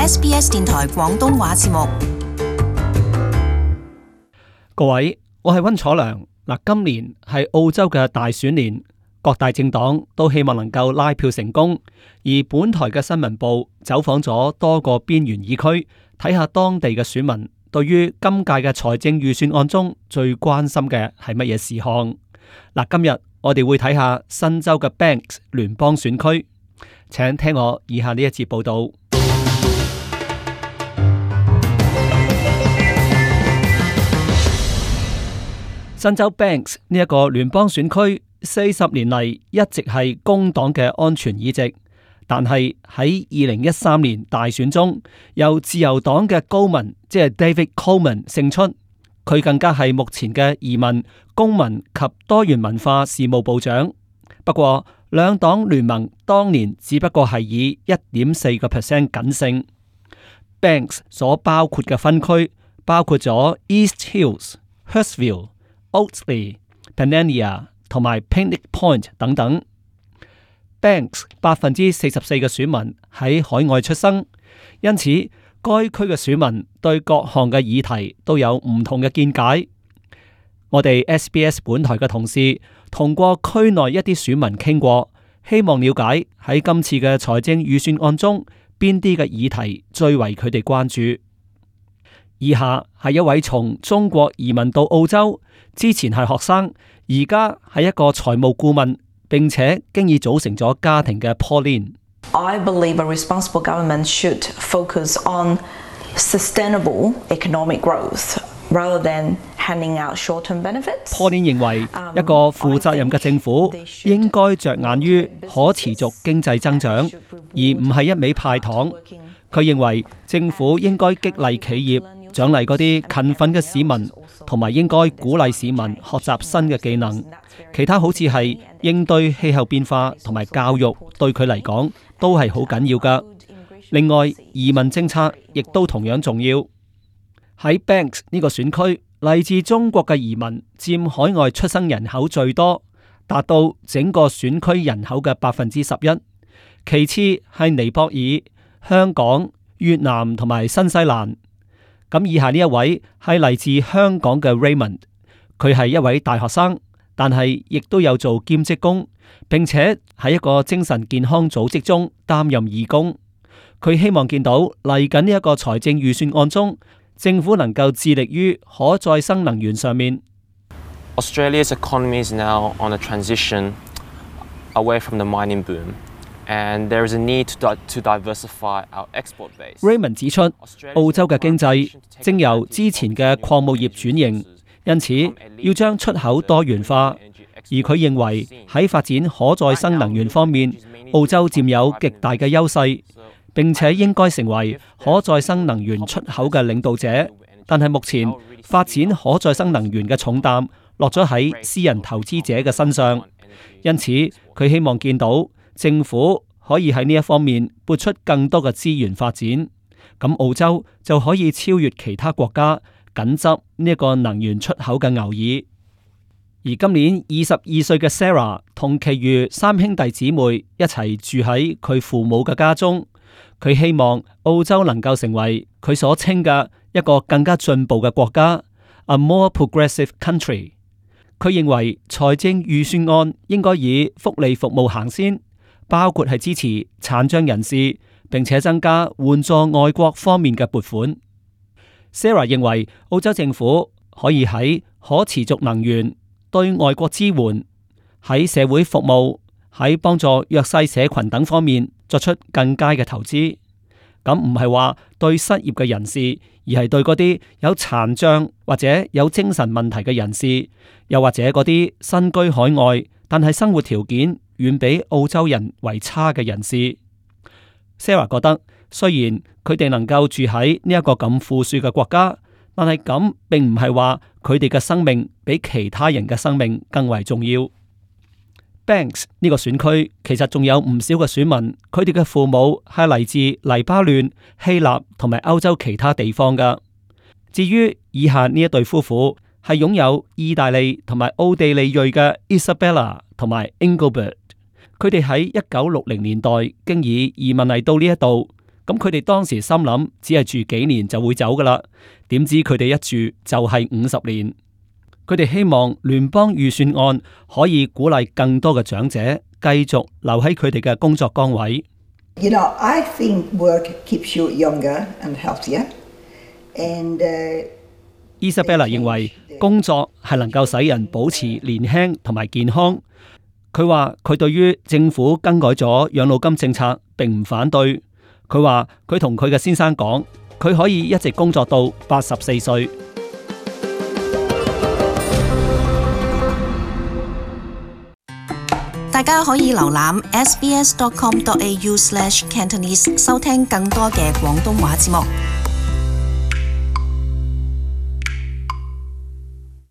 SBS 電台廣東話節目。各位，我係溫楚良。今年係澳洲嘅大選年，各大政黨都希望能夠拉票成功。而本台嘅新聞部走訪咗多個邊緣議區，睇下當地嘅選民對於今屆嘅財政預算案中最關心嘅係乜嘢事項。今日我哋會睇下新州嘅 Banks 聯邦選區，請聽我以下呢一節報道。新州 Banks 呢一個聯邦選區40年嚟一直係工黨嘅安全議席，但係喺2013年大選中，由自由黨嘅高文，即係 David Coleman 勝出，佢更加係目前嘅移民、公民及多元文化事務部長。不過兩黨聯盟當年只不過係以 1.4% 僅勝。Banks 所包括嘅分區包括咗 East Hills、Hurstville、Oatley、Panania 同埋 Picnic Point 等等。Banks 44%嘅選民喺海外出生，因此該區嘅選民對各項嘅議題都有唔同嘅見解。我哋 SBS 本台嘅同事同過區內一啲選民傾過，希望了解喺今次嘅財政預算案中邊啲嘅議題最為佢哋關注。以下係一位從中國移民到澳洲，之前係學生，而家係一個財務顧問，並且經已組成咗家庭嘅 Pauline。I believe a responsible government should focus on sustainable economic growth rather than handing out short-term benefits. Pauline 認為一個負責任嘅政府應該着眼於可持續經濟增長，而唔係一味派糖。佢認為政府應該激勵企業，獎勵嗰啲勤奮嘅市民，同埋應該鼓勵市民學習新嘅技能。其他好似係應對氣候變化同埋教育，對佢嚟講都係好緊要㗎。另外，移民政策亦都同樣重要。喺 Banks 呢個選區，嚟自中國嘅移民佔海外出生人口最多，達到整個選區人口嘅11%。其次係尼泊爾、香港、越南同埋新西蘭。咁以下呢一位係嚟自香港嘅 Raymond， 佢係一位大學生，但係亦都有做兼職工，並且喺一個精神健康組織中擔任義工。佢希望見到嚟緊呢一個財政預算案中，政府能夠致力於可再生能源上面。Australia's economy is now on a transition away from the mining boom.And there is a need to diversify our export base. Raymond 指出，澳洲嘅經濟正由之前嘅礦務業轉型，因此要將出口多元化。而佢認為喺發展可再生能源方面，澳洲佔有極大嘅優勢，並且應該成為可再生能源出口嘅領導者。但係目前發展可再生能源嘅重擔落咗喺私人投資者嘅身上，因此佢希望見到政府可以喺呢一方面撥出更多嘅資源發展，咁澳洲就可以超越其他國家，緊執呢一個能源出口嘅牛耳。而今年22歲嘅 Sarah 同其餘3兄弟姊妹一齊住喺佢父母嘅家中，佢希望澳洲能夠成為佢所稱嘅一個更加進步嘅國家 ，a more progressive country。佢認為財政預算案應該以福利服務行先，包括係支持殘障人士，並且增加援助外國方面嘅撥款。Sarah 認為澳洲政府可以喺可持續能源、對外國支援、喺社會服務、喺幫助弱勢社群等方面作出更佳嘅投資。咁唔係話對失業嘅人士，而係對嗰啲有殘障或者有精神問題嘅人士，又或者嗰啲身居海外但係生活條件遠比澳洲人為差嘅人士。Sarah 覺得雖然佢哋能夠住喺呢一個咁富庶嘅國家，但係咁並唔係話佢哋嘅生命比其他人嘅生命更為重要。Banks 呢個選區其實仲有唔少嘅選民，佢哋嘅父母係嚟自黎巴嫩、希臘同埋歐洲其他地方噶。至於以下呢一對夫婦係擁有意大利同埋奧地利裔嘅 Isabella 同埋 Engelbert， 佢哋喺1960年代經已移民嚟到呢一度，咁佢哋當時心諗只係住幾年就會走噶啦，點知佢哋一住就係50年。佢哋希望聯邦預算案可以鼓勵更多嘅長者繼續留喺佢哋嘅工作崗位。You know, I think work keeps you younger and healthier. And Isabella 認為工作係能夠使人保持年輕同埋健康。佢話佢對於政府更改咗養老金政策並唔反對。佢話佢同佢嘅先生講，佢可以一直工作到84歲。大家可以瀏覽 sbs.com.au/Cantonese 收聽更多嘅廣東話節目。